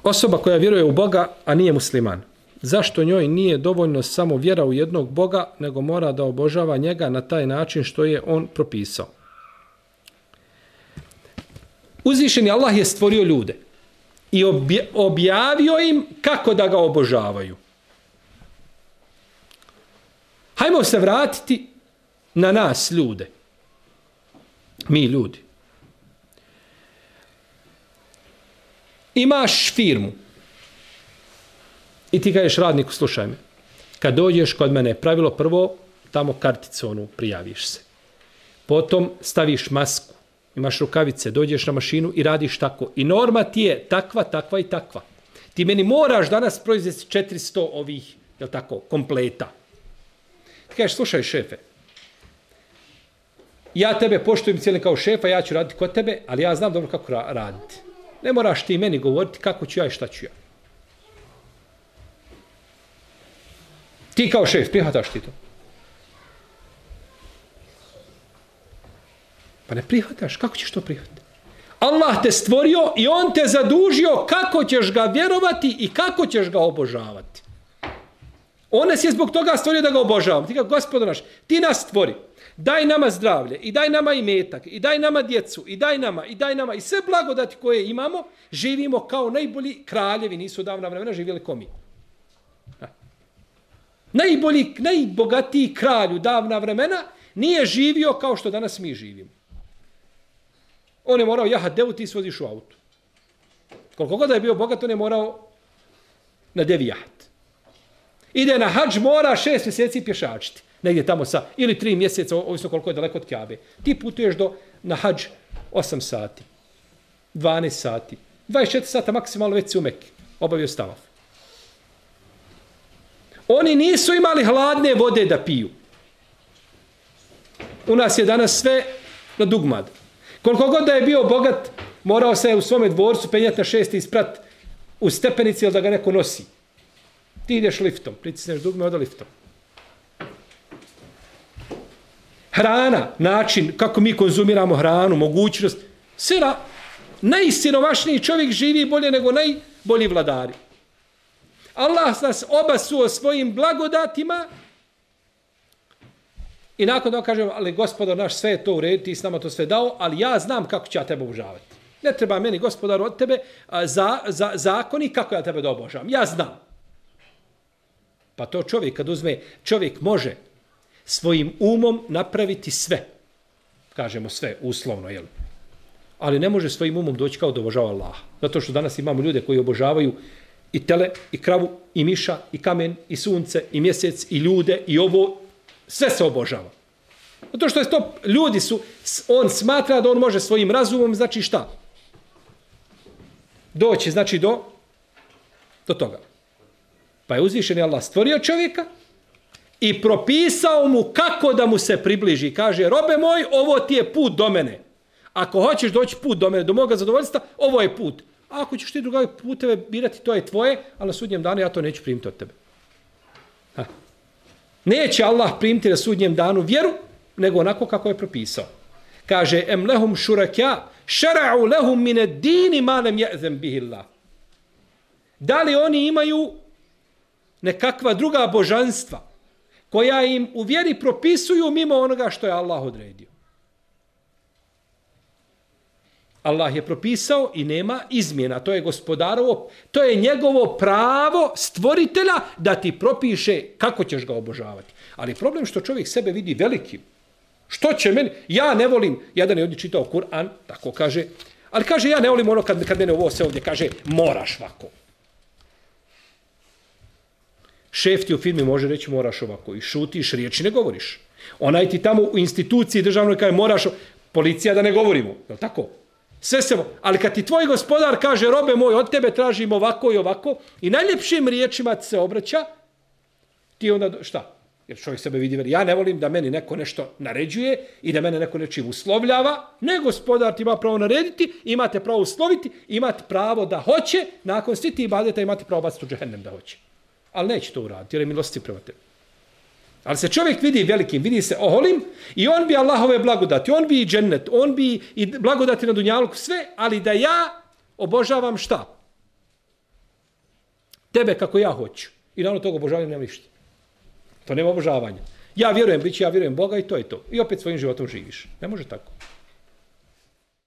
Osoba koja vjeruje u Boga, a nije musliman. Zašto njoj nije dovoljno samo vjera u jednog Boga, nego mora da obožava njega na taj način što je on propisao? Uzvišeni Allah je stvorio ljude i objavio im kako da ga obožavaju. Hajmo se vratiti na nas ljude. Mi ljudi. Imaš firmu i ti kažeš radniku, slušaj me, kad dođeš kod mene, pravilo prvo, tamo karticu onu prijaviš se. Potom staviš masku, imaš rukavice, dođeš na mašinu i radiš tako. I norma ti je takva, takva i takva. Ti meni moraš danas proizvesti 400 ovih, jel tako, kompleta. Ti kažeš, slušaj šefe, ja tebe poštujem cijelim kao šefa, ja ću raditi kod tebe, ali ja znam dobro kako raditi. Ne moraš ti meni govoriti kako ću ja i šta ću ja. Ti kao šef, prihvataš ti to? Pa ne prihvataš, kako ćeš to prihvatiti? Allah te stvorio i on te zadužio kako ćeš ga vjerovati i kako ćeš ga obožavati. On nas je zbog toga stvorio da ga obožavamo. Ti kao Gospodo naš, ti nas stvori. Daj nama zdravlje i daj nama imetak i daj nama djecu i daj nama i sve blagodati koje imamo, živimo kao najbolji kraljevi, nisu davna vremena živjeli ko mi. Najbogatiji kralj u davna vremena nije živio kao što danas mi živimo. On je morao jahat devu, ti svoziš u autu. Koliko god je bio bogat, on je morao na devi jahat. Ide na hadž, mora 6 mjeseci pješačiti. Negdje tamo ili 3 mjeseca, ovisno koliko je daleko od Kjabe. Ti putuješ na hadž 8 sati, 12 sati, 24 sata maksimalno već si u Mekki, obavio stavaf. Oni nisu imali hladne vode da piju. U nas je danas sve na dugmad. Koliko god da je bio bogat, morao se u svome dvorcu penjati na 6 isprat u stepenici ili da ga neko nosi. Ti ideš liftom, pritisneš dugme, oda liftom. Hrana, način kako mi konzumiramo hranu, mogućnost. Najsiromašniji čovjek živi bolje nego najbolji vladari. Allah nas obasuo svojim blagodatima i nakon toga kažemo, ali Gospodar naš, sve je to u redu, ti s nama to sve dao, ali ja znam kako ću ja tebe obožavati. Ne treba meni, Gospodar, od tebe zakoni kako ja tebe da obožavam. Ja znam. Pa to čovjek kad uzme, čovjek može svojim umom napraviti sve. Kažemo sve, uslovno, jel? Ali ne može svojim umom doći kao da obožava Allaha. Zato što danas imamo ljude koji obožavaju i tele, i kravu, i miša, i kamen, i sunce, i mjesec, i ljude, i ovo. Sve se obožava. Zato što je to, ljudi su, on smatra da on može svojim razumom, znači šta? Doći, znači do toga. Pa je uzvišeni Allah stvorio čovjeka i propisao mu kako da mu se približi. Kaže, robe moj, ovo ti je put do mene. Ako hoćeš doći put do mene, do moga zadovoljstva, ovo je put. A ako ćeš ti druge puteve birati, to je tvoje, ali na sudnjem danu ja to neću primiti od tebe. Neće Allah primiti na sudnjem danu vjeru, nego onako kako je propisao. Kaže, em lehum šurakja, šara'u lehum mine dini malem je'zem bihillah. Da li oni imaju nekakva druga božanstva koja im u vjeri propisuju mimo onoga što je Allah odredio? Allah je propisao i nema izmjena. To je gospodarovo, to je njegovo pravo stvoritelja da ti propiše kako ćeš ga obožavati. Ali problem što čovjek sebe vidi velikim. Što će meni? Ja ne volim, jedan je ovdje čitao Kur'an, tako kaže, ali kaže ja ne volim ono kad mene ovo se ovdje kaže moraš ovako. Šef ti u firmi može reći moraš ovako i šutiš, riječi ne govoriš. Onaj ti tamo u instituciji državnoj kaže moraš, policija da ne govorimo, je li tako? Sve se, ali kad ti tvoj gospodar kaže robe moj, od tebe tražim ovako i ovako i najljepšim riječima se obraća, ti onda šta? Jer čovjek sebe vidi, ja ne volim da meni neko nešto naređuje i da mene neko nečim uslovljava, ne gospodar ti ima pravo narediti, imate pravo usloviti, imate pravo da hoće, nakon svi ti ibadeta imate pravo baciti u džehennem da hoće. Ali neće to uraditi, jer je milosti prema tebi. Ali se čovjek vidi velikim, vidi se oholim i on bi Allahove blagodati, on bi i džennet, on bi i blagodati na dunjaluku, sve, ali da ja obožavam šta? tebe kako ja hoću. I na ono toga obožavanja nema ništa. To nema obožavanja. Ja vjerujem Boga i to je to. I opet svojim životom živiš. Ne može tako.